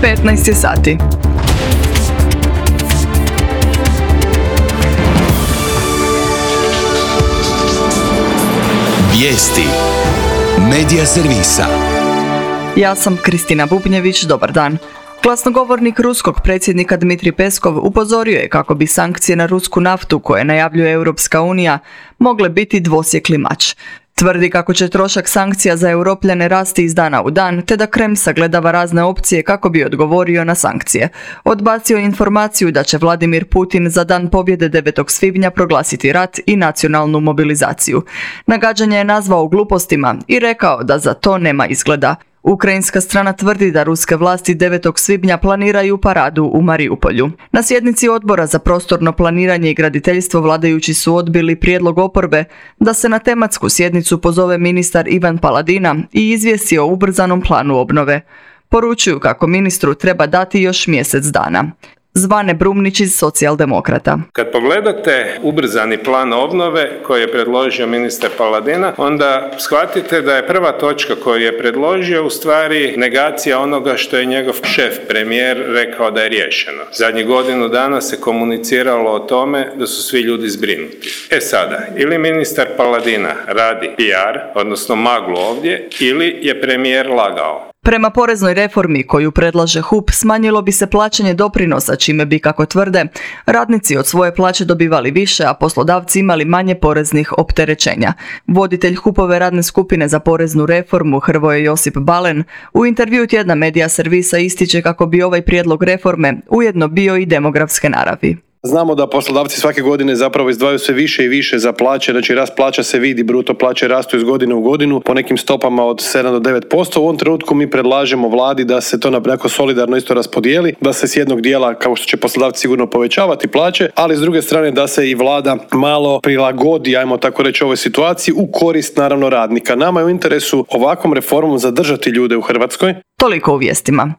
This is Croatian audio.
15 je sati. Vijesti Medija servisa. Ja sam Kristina Bubnjević, dobar dan. Glasnogovornik ruskog predsjednika Dmitrij Peskov upozorio je kako bi sankcije na rusku naftu koje najavljuje Europska unija mogle biti dvosjekli mač. Tvrdi kako će trošak sankcija za Europljane rasti iz dana u dan, te da Kreml sagledava razne opcije kako bi odgovorio na sankcije. Odbacio je informaciju da će Vladimir Putin za dan pobjede 9. svibnja proglasiti rat i nacionalnu mobilizaciju. Nagađanje je nazvao glupostima i rekao da za to nema izgleda. Ukrajinska strana tvrdi da ruske vlasti 9. svibnja planiraju paradu u Mariupolju. Na sjednici Odbora za prostorno planiranje i graditeljstvo vladajući su odbili prijedlog oporbe da se na tematsku sjednicu pozove ministar Ivan Paladina i izvijesti o ubrzanom planu obnove. Poručuju kako ministru treba dati još mjesec dana. Zvane Brumnić iz Socijaldemokrata. Kad pogledate ubrzani plan obnove koji je predložio ministar Paladina, onda shvatite da je prva točka koju je predložio u stvari negacija onoga što je njegov šef, premijer, rekao da je riješeno. Zadnjih godinu dana se komuniciralo o tome da su svi ljudi zbrinuti. Sada, ili ministar Paladina radi PR, odnosno maglu ovdje, ili je premijer lagao. Prema poreznoj reformi koju predlaže HUP smanjilo bi se plaćanje doprinosa, čime bi, kako tvrde, radnici od svoje plaće dobivali više, a poslodavci imali manje poreznih opterećenja. Voditelj HUP-ove radne skupine za poreznu reformu Hrvoje Josip Balen u intervjuu tjedna Medija servisa ističe kako bi ovaj prijedlog reforme ujedno bio i demografske naravi. Znamo da poslodavci svake godine zapravo izdvajaju sve više i više za plaće, znači rast plaća se vidi, bruto plaće rastu iz godine u godinu po nekim stopama od 7 do 9%. U ovom trenutku mi predlažemo vladi da se to onako solidarno isto raspodijeli, da se s jednog dijela, kao što će poslodavci sigurno povećavati plaće, ali s druge strane da se i vlada malo prilagodi, ajmo tako reći, ovoj situaciji u korist naravno radnika. Nama je u interesu ovakvom reformom zadržati ljude u Hrvatskoj. Toliko u vijestima.